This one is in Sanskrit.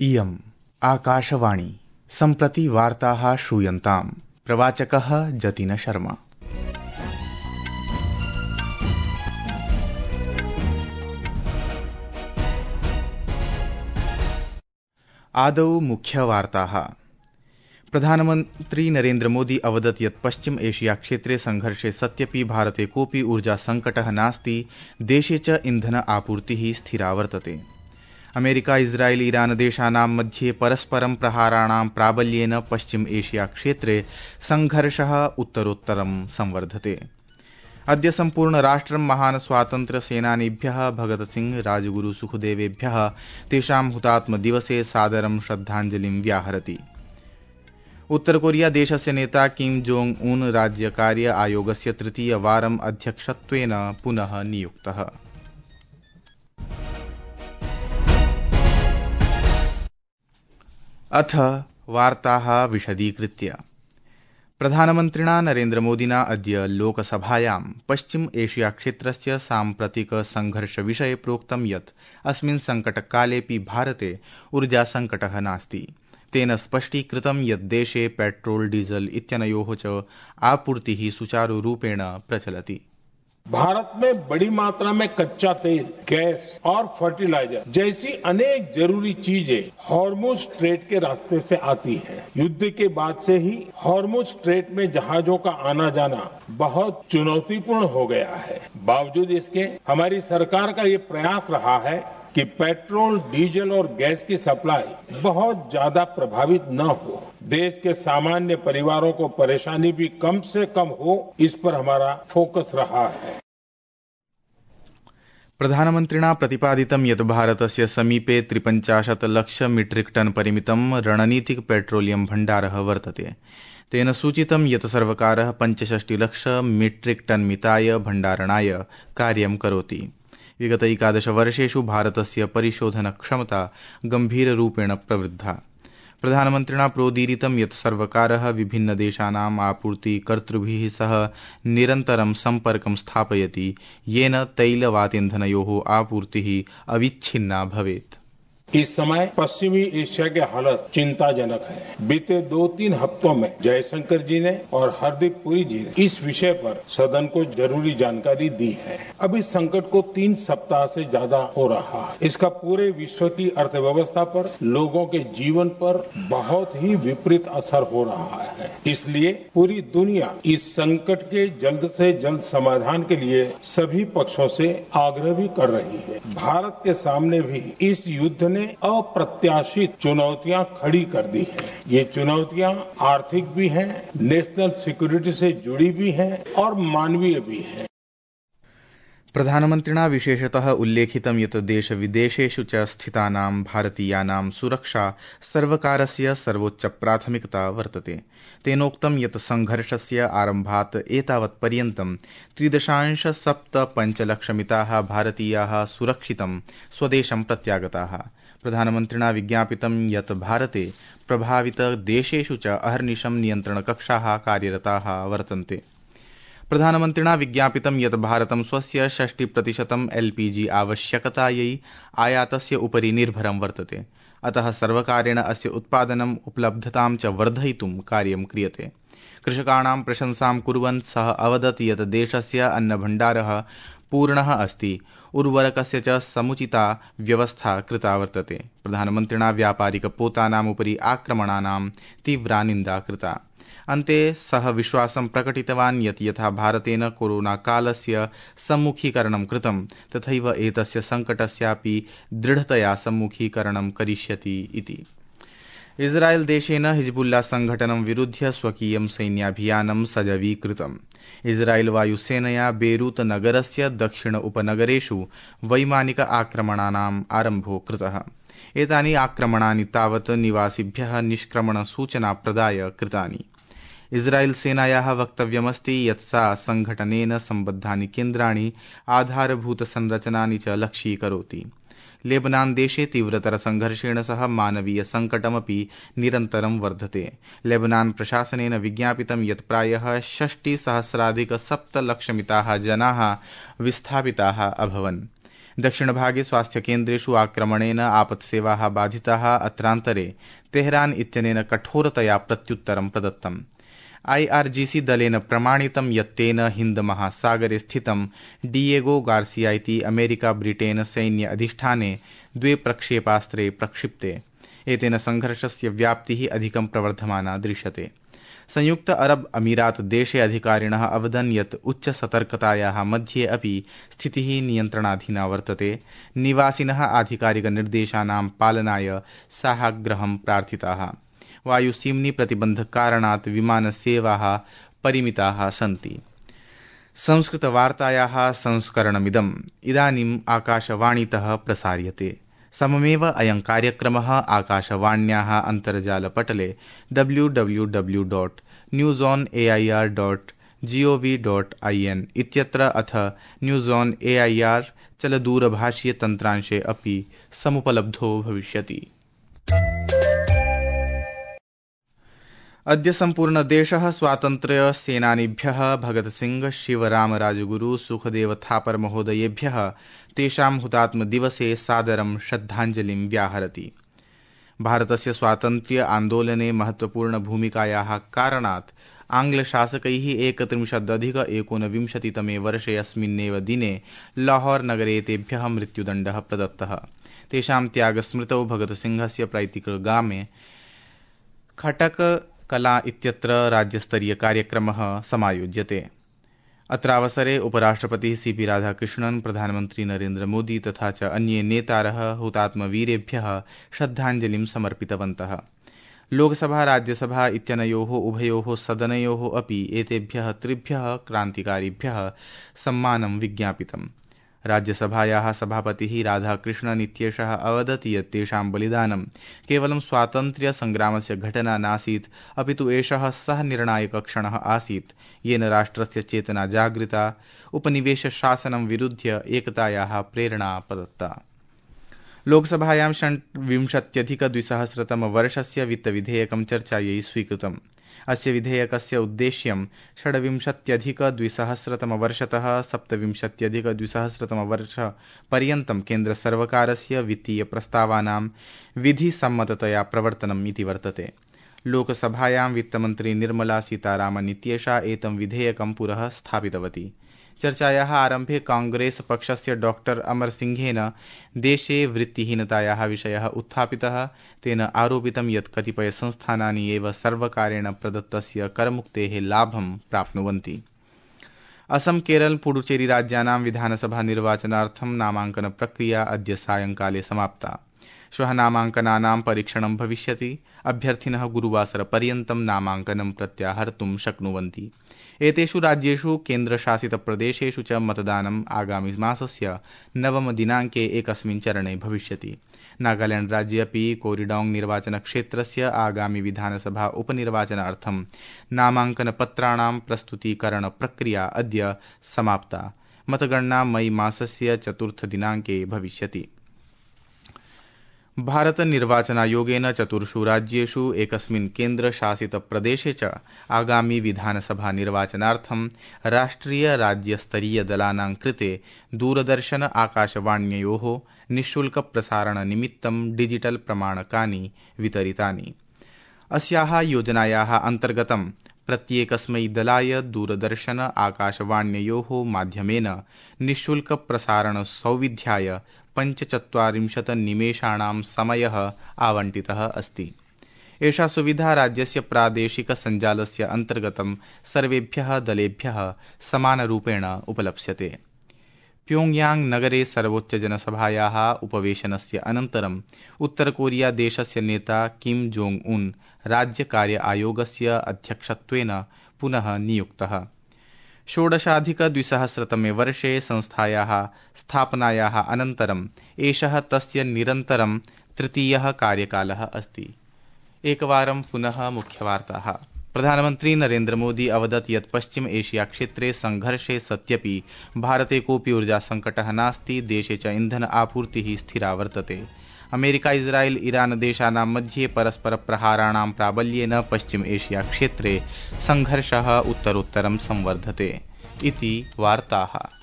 इयम् आकाशवाणी सम्प्रति वार्ताः श्रूयन्ताम्। प्रवाचकः जतिन शर्मा। आदौ मुख्यवार्ताः। प्रधानमन्त्री नरेन्द्र मोदी अवदत् यत् पश्चिम एशिया क्षेत्रे संघर्षे सत्यपि भारते कोऽपि ऊर्जा संकटः नास्ति, देशे च इन्धन आपूर्तिः स्थिरा वर्तते। अमेरिका इस्राएल ईरान देशानां मध्ये परस्परं प्रहाराणां प्राबल्येन पश्चिम एशिया क्षेत्रे संघर्षः उत्तरोत्तरं संवर्धते। अद्य सम्पूर्ण राष्ट्रं महान् स्वातन्त्र्य सेनानीभ्यः भगत सिंह राजगुरु सुखदेवेभ्यः तेषां हुतात्म दिवसे सादरं श्रद्धाञ्जलिं व्याहरति। उत्तर कोरिया देशस्य नेता किम जोंग उन राज्यकार्य आयोगस्य तृतीयवारम् अध्यक्षत्वेन पुनः नियुक्तः। अथ वार्ताः विशदीकृत्य। प्रधानमन्त्रिणा नरेन्द्र मोदिना अद्य लोकसभायां पश्चिम एशिया क्षेत्रस्य साम्प्रतिक संघर्षविषये प्रोक्तं यत् अस्मिन् संकटकालेऽपि भारते ऊर्जा संकटः नास्ति। तेन स्पष्टीकृतं यत् देशे पेट्रोल डीजल इत्यनयोः च आपूर्तिः सुचारुरूपेण प्रचलति। भारत में बड़ी मात्रा में कच्चा तेल, गैस और फर्टिलाइजर जैसी अनेक जरूरी चीजें हॉर्मुज स्ट्रेट के रास्ते से आती हैं। युद्ध के बाद से ही हॉर्मुज स्ट्रेट में जहाजों का आना जाना बहुत चुनौतीपूर्ण हो गया है। बावजूद इसके हमारी सरकार का ये प्रयास रहा है कि पेट्रोल, डीजल और गैस की सप्लाई बहुत ज्यादा प्रभावित न हो, देश के सामान्य परिवारों को परेशानी भी कम से कम हो, इस पर हमारा फोकस रहा है। प्रधानमन्त्रिणा प्रतिपादितं यत् भारतस्य समीपे 53 लाख मीट्रिक टन परिमितं रणनीतिक पेट्रोलियम भण्डारः वर्तते। तेन सूचितं यत् सर्वकारः 65 लाख मीट्रिक टन मिताय भण्डारणाय कार्यं करोति। विगत 11 वर्षेषु भारतस्य परिशोधन क्षमता गम्भीररूपेण प्रवृद्धा। प्रधानमन्त्रिणा प्रोदीरितं यत् सर्वकारः विभिन्नदेशानाम् आपूर्तिकर्तृभिः सह निरन्तरं सम्पर्कं स्थापयति, येन तैलवातीन्धनयोः आपूर्तिः अविच्छिन्ना भवेत्। इस समय पश्चिमी एशिया के हालत चिंताजनक है। बीते 2-3 हफ्तों में जयशंकर जी ने और हरदीप पुरी जी ने इस विषय पर सदन को जरूरी जानकारी दी है। अब इस संकट को 3 सप्ताह से ज्यादा हो रहा है। इसका पूरे विश्व की अर्थव्यवस्था पर, लोगों के जीवन पर बहुत ही विपरीत असर हो रहा है। इसलिए पूरी दुनिया इस संकट के जल्द से जल्द समाधान के लिए सभी पक्षों से आग्रह भी कर रही है। भारत के सामने भी इस युद्ध ने अप्रत्याशित चुनौतियां खड़ी कर दी हैं। ये चुनौतियां आर्थिक भी हैं, नेशनल सिक्योरिटी से जुड़ी भी हैं और मानवीय भी हैं। प्रधानमन्त्रिणा विशेषतः उल्लेखितं यत् देश विदेशेषु च स्थितानां भारतीयानां सुरक्षा सर्वकारस्य सर्वोच्च प्राथमिकता वर्तते। तेनोक्तं यत् संघर्षस्य आरम्भात् एतावत्पर्यन्तं 3.75 लक्षमिताः भारतीयाः सुरक्षितं स्वदेशं प्रत्यागताः। प्रधानमन्त्रिणा विज्ञापितं यत् भारते प्रभावितदेशेषु च अहर्निशं नियन्त्रणकक्षाः कार्यरताः वर्तन्ते। प्रधानमन्त्रिणा विज्ञापितं यत् भारतं स्वस्य 60% LPG आवश्यकतायै आयातस्य उपरि निर्भरं वर्तते। अतः सर्वकारेण अस्य उत्पादनम् उपलब्धतां च वर्धयितुं कार्यं क्रियते। कृषकाणां प्रशंसां कुर्वन् सः अवदत् यत् देशस्य अन्नभण्डारः पूर्णः अस्ति, उर्वरकस्य च समुचिता व्यवस्था कृता वर्तते। प्रधानमन्त्रिणा व्यापारिकपोतानाम् उपरि आक्रमणानां तीव्रा निन्दा कृता। अन्ते सः विश्वासं प्रकटितवान् यत् यथा भारतेन कोरोनाकालस्य सम्मुखीकरणं कृतं, तथैव एतस्य सङ्कटस्यापि दृढतया सम्मुखीकरणं करिष्यति इति। इस्राएल देशेन हिजबुल्ला संघटनं विरुध्य स्वकीयं सैन्याभियानं सजवीकृतम्। इस्राएल वायुसेनया बेरूत नगरस्य दक्षिण उपनगरेषु वैमानिक आक्रमणानाम् आरम्भो कृतः। एतानि आक्रमणानि तावत् निवासिभ्यः निष्क्रमणसूचना प्रदाय कृतानि। इस्राएल सेनायाः वक्तव्यमस्ति यत् सा संघटनेन सम्बद्धानि केन्द्राणि, आधारभूतसंरचनानि च लक्ष्यीकरोति। लेबनान देशे तीव्रतर संघर्षेण सह मानवीय संकटमपि निरन्तरं वर्धते। लेबनान प्रशासनेन विज्ञापितं यत् प्रायः 60,000-7 लक्षमिताः जनाः विस्थापिताः अभवन्। दक्षिणभागे स्वास्थ्यकेन्द्रेषु आक्रमणेन आपत्सेवाः बाधिताः। अत्रान्तरे तेहरान इत्यनेन कठोरतया प्रत्युत्तरं प्रदत्तम्। IRGC दलेन प्रमाणितं यत् तेन हिन्द महासागरे स्थितं डिएगो गार्सिया इति अमेरिका ब्रिटेन सैन्य अधिष्ठाने 2 प्रक्षेपास्त्रे प्रक्षिप्ते। एतेन संघर्षस्य व्याप्तिः अधिकं प्रवर्धमाना दृश्यते। संयुक्त अरब अमीरात देशे अधिकारिणः अवदन् यत् उच्च सतर्कतायाः मध्ये अपि स्थितिः नियन्त्रणाधीना वर्तते। निवासिनः आधिकारिकनिर्देशानां पालनाय साहाग्रहं प्रार्थिताः। वायुसीम्नि प्रतिबन्धकारणात् विमानसेवाः परिमिताः सन्ति। संस्कृतवार्तायाः संस्करणमिदम् इदानीम् आकाशवाणीतः प्रसार्यते। सममेव अयं कार्यक्रमः आकाशवाण्याः अन्तर्जालपटले www.newsonair.gov.in इत्यत्र अथ न्यूज़ ऑन AIR चलदूरभाषीयतन्त्रांशे अपि समुपलब्धो भविष्यति। अद्य सम्पूर्णदेशः स्वातन्त्र्यसेनानिभ्यः भगत सिंह, शिवराम राजगुरु, सुखदेव थापर महोदयेभ्यः तेषां हुतात्मदिवसे सादरं श्रद्धाञ्जलिं व्याहरति। भारतस्य स्वातन्त्र्य आन्दोलने महत्वपूर्णभूमिकायाः कारणात् आङ्ग्लशासकैः 31-19 वर्षे अस्मिन्नेव दिने लाहौर नगरे तेभ्यः मृत्युदण्डः प्रदत्तः। तेषां त्यागस्मृतौ भगतसिंहस्य पैतृकग्रामे खटक कला इत्यत्र राज्यस्तरीयकार्यक्रमः समायोज्यते। अत्रावसरे उपराष्ट्रपतिः CP राधाकृष्णन्, प्रधानमन्त्री नरेन्द्र मोदी तथा च अन्ये नेतारः हुतात्मवीरेभ्यः श्रद्धाञ्जलिं समर्पितवन्तः। लोकसभा राज्यसभा इत्यनयोः उभयोः सदनयोः अपि एतेभ्यः 3 क्रान्तिकारिभ्यः सम्मानं विज्ञापितम्। राज्यसभायाः सभापतिः राधाकृष्णन् इत्येषः अवदत् यत् तेषां बलिदानं केवलं स्वातन्त्र्यसङ्ग्रामस्य घटना नासीत्, अपि तु एषः सः निर्णायकक्षणः आसीत् येन राष्ट्रस्य चेतना जागृता, उपनिवेशशासनं विरुध्य एकतायाः प्रेरणा प्रदत्ता। लोकसभायां 20-अधिक-2000 वर्षस्य वित्तविधेयकं चर्चायै स्वीकृतम्। अस्य विधेयकस्य उद्देश्यं 26-अधिक-2000 वर्षतः 27-अधिक-2000 वर्षपर्यन्तं केन्द्रसर्वकारस्य वित्तीयप्रस्तावानां विधिसम्मततया प्रवर्तनम् इति वर्तते। लोकसभायां वित्तमन्त्री निर्मला सीतारामन् इत्येषा एतं विधेयकं पुरः स्थापितवती। चर्चायाः आरम्भे कांग्रेस पक्षस्य डॉक्टर अमर सिंहेन देशे वृत्तिहीनतायाः विषयः उत्थापितः। तेन आरोपितं यत् कतिपय संस्थानानि एव सर्वकारेण प्रदत्तस्य करमुक्तेः लाभं प्राप्नुवन्ति। असम, केरल, पुडुचेरी राज्यानां विधानसभा निर्वाचनार्थं नामाङ्कन प्रक्रिया अद्य सायंकाले समाप्ता। श्वः नामाङ्कनानां परीक्षणं भविष्यति। अभ्यर्थिनः गुरुवासरपर्यन्तं नामाङ्कनं प्रत्याहर्तुं शक्नुवन्ति। एतेषु राज्येषु केन्द्रशासितप्रदेशेषु च मतदानम् आगामि मासस्य 9 दिनाङ्के एकस्मिन् चरणे भविष्यति। नागालैंड राज्ये अपि कोरिडोंग निर्वाचनक्षेत्रस्य आगामि विधानसभा उपनिर्वाचनार्थं नामाङ्कनपत्राणां प्रस्तुतीकरण प्रक्रिया अद्य समाप्ता। मतगणना मई मासस्य 4 दिनाङ्के भविष्यति। भारत निर्वाचनायोगेन 4 राज्येषु एकस्मिन् केन्द्रशासितप्रदेशे च आगामि विधानसभा निर्वाचनार्थं राष्ट्रिय राज्यस्तरीय दलानां कृते दूरदर्शन आकाशवाण्ययोः निःशुल्क प्रसारणनिमित्तं डिजिटल प्रमाणकानि वितरितानि। अस्याः योजनायाः अन्तर्गतं प्रत्येकस्मै दलाय दूरदर्शन आकाशवाण्ययोः माध्यमेन निःशुल्क प्रसारण सौविध्याय 45 निमेषाणां समयः आवंटितः अस्ति। एषा सुविधा राज्यस्य प्रादेशिक सञ्जालस्य अन्तर्गतं सर्वेभ्यः दलेभ्यः समानरूपेण उपलप्स्यते। प्योङ्गयांग नगरे सर्वोच्चजनसभायाः उपवेशनस्य अनन्तरम् उत्तरकोरिया देशस्य नेता किम जोंग उन राज्यकार्य आयोगस्य अध्यक्षत्वेन पुनः नियुक्तः। 16-अधिक-2000 वर्षे संस्थायाः स्थापनायाः अनन्तरम् एषः तस्य निरन्तरं 3यः कार्यकालः अस्ति। एकवारं पुनः मुख्यवार्ताः। प्रधानमन्त्री नरेन्द्र मोदी अवदत् यत् पश्चिम एशिया क्षेत्रे संघर्षे सत्यपि भारते कोऽपि ऊर्जा संकटः नास्ति। देशे च इन्धन आपूर्तिः स्थिरा वर्तते। अमेरिका, इस्राएल, ईरान देशानां मध्ये परस्पर प्रहाराणां प्राबल्येन पश्चिम एशिया क्षेत्रे संघर्षः उत्तरोत्तरं संवर्धते इति वार्ताः।